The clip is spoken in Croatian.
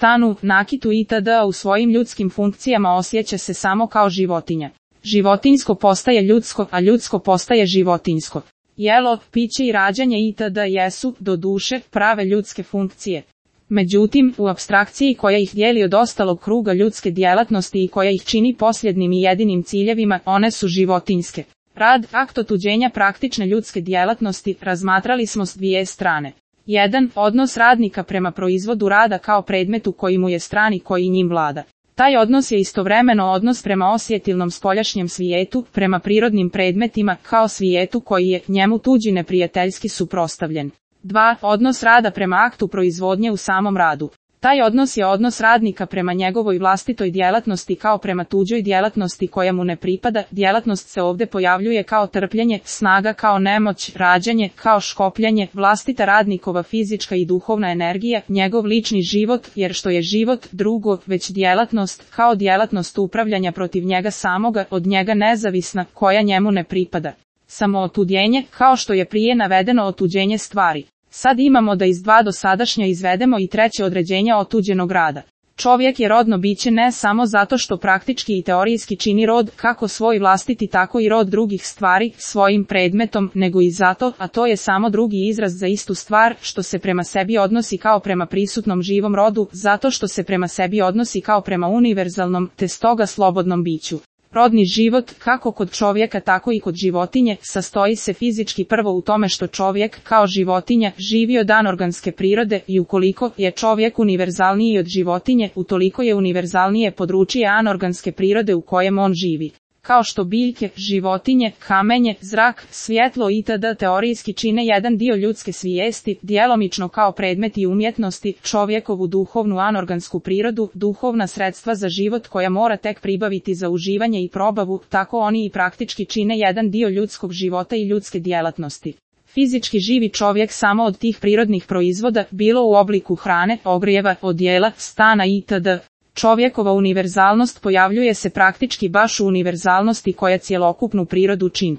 stanu, nakitu itd. U svojim ljudskim funkcijama osjeća se samo kao životinja. Životinjsko postaje ljudsko, a ljudsko postaje životinjsko. Jelo, piće i rađanje itd. Jesu, do duše, prave ljudske funkcije. Međutim, u apstrakciji koja ih dijeli od ostalog kruga ljudske djelatnosti i koja ih čini posljednim i jedinim ciljevima, one su životinjske. Rad, akt otuđenja praktične ljudske djelatnosti, razmatrali smo s dvije strane. 1. Odnos radnika prema proizvodu rada kao predmetu koji mu je stran i koji njim vlada. Taj odnos je istovremeno odnos prema osjetilnom spoljašnjem svijetu, prema prirodnim predmetima, kao svijetu koji je njemu tuđi neprijateljski suprotstavljen. 2. Odnos rada prema aktu proizvodnje u samom radu. Taj odnos je odnos radnika prema njegovoj vlastitoj djelatnosti kao prema tuđoj djelatnosti koja mu ne pripada. Djelatnost se ovdje pojavljuje kao trpljenje, snaga kao nemoć, rađanje kao škopljanje, vlastita radnikova fizička i duhovna energija, njegov lični život, jer što je život drugo, već djelatnost, kao djelatnost upravljanja protiv njega samoga, od njega nezavisna, koja njemu ne pripada. Samootuđenje, kao što je prije navedeno otuđenje stvari. Sad imamo da iz dva dosadašnja izvedemo i treće određenje otuđenog rada. Čovjek je rodno biće ne samo zato što praktički i teorijski čini rod, kako svoj vlastiti tako i rod drugih stvari, svojim predmetom, nego i zato, a to je samo drugi izraz za istu stvar, što se prema sebi odnosi kao prema prisutnom živom rodu, zato što se prema sebi odnosi kao prema univerzalnom, te stoga slobodnom biću. Rodni život, kako kod čovjeka tako i kod životinje, sastoji se fizički prvo u tome što čovjek, kao životinja, živi od anorganske prirode i ukoliko je čovjek univerzalniji od životinje, utoliko je univerzalnije područje anorganske prirode u kojem on živi. Kao što biljke, životinje, kamenje, zrak, svjetlo itd. Teorijski čine jedan dio ljudske svijesti, djelomično kao predmeti umjetnosti, čovjekovu duhovnu anorgansku prirodu, duhovna sredstva za život koja mora tek pribaviti za uživanje i probavu, tako oni i praktički čine jedan dio ljudskog života i ljudske djelatnosti. Fizički živi čovjek samo od tih prirodnih proizvoda, bilo u obliku hrane, ogrijeva, odjela, stana itd. Čovjekova univerzalnost pojavljuje se praktički baš u univerzalnosti koja cjelokupnu prirodu čini.